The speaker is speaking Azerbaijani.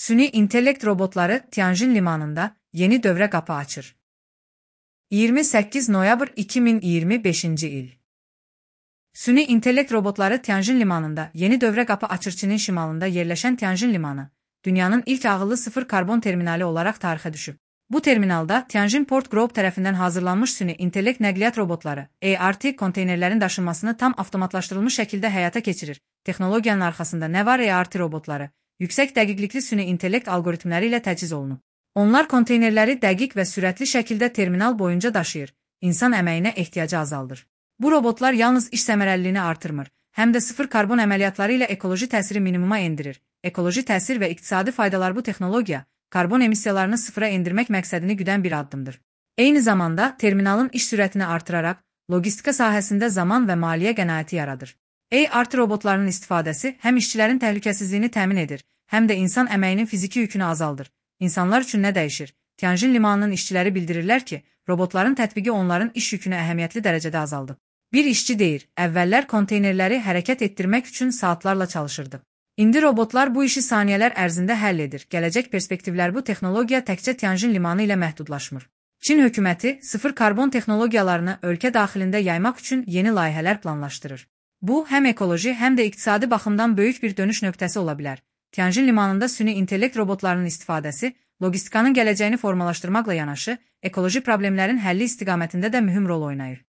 Süni intellekt robotları Tianjin limanında yeni dövrə qapı açır. 28 noyabr 2025 il. Süni intellekt robotları Tianjin limanında yeni dövrə qapı açır. Çinin şimalında yerləşən Tianjin limanı, dünyanın ilk ağıllı sıfır karbon terminali olaraq tarixə düşüb. Bu terminalda Tianjin Port Group tərəfindən hazırlanmış süni intellekt nəqliyyat robotları, ART konteynerlərin daşınmasını tam avtomatlaşdırılmış şəkildə həyata keçirir. Texnologiyanın arxasında nə var? ART robotları yüksək dəqiqlikli süni intellekt alqoritmləri ilə təchiz olunub. Onlar konteynerləri dəqiq və sürətli şəkildə terminal boyunca daşıyır, insan əməyinə ehtiyacı azaldır. Bu robotlar yalnız iş səmərəliliyini artırmır, həm də sıfır karbon əməliyyatları ilə ekoloji təsiri minimuma endirir. Ekoloji təsir və iqtisadi faydalar. Bu texnologiya, karbon emissiyalarını sıfıra endirmək məqsədini güdən bir addımdır. Eyni zamanda, terminalın iş sürətini artıraraq, logistika sahəsində zaman və maliyyə qənaəti yaradır. ART robotlarının istifadəsi həm işçilərin təhlükəsizliyini təmin edir, həm də insan əməyinin fiziki yükünü azaldır. İnsanlar üçün nə dəyişir? Tianjin limanının işçiləri bildirirlər ki, robotların tətbiqi onların iş yükünü əhəmiyyətli dərəcədə azaldıb. Bir işçi deyir, əvvəllər konteynerləri hərəkət etdirmək üçün saatlarla çalışırdı. İndi robotlar bu işi saniyələr ərzində həll edir. Gələcək perspektivlər. Bu texnologiya təkcə Tianjin limanı ilə məhdudlaşmır. Çin hökuməti sıfır karbon texnologiyalarını ölkə daxilində yaymaq üçün yeni layihələr planlaşdırır. Bu, həm ekoloji, həm də iqtisadi baxımdan böyük bir dönüş nöqtəsi ola bilər. Tianjin limanında süni intellekt robotlarının istifadəsi, logistikanın gələcəyini formalaşdırmaqla yanaşı, ekoloji problemlərin həlli istiqamətində də mühüm rol oynayır.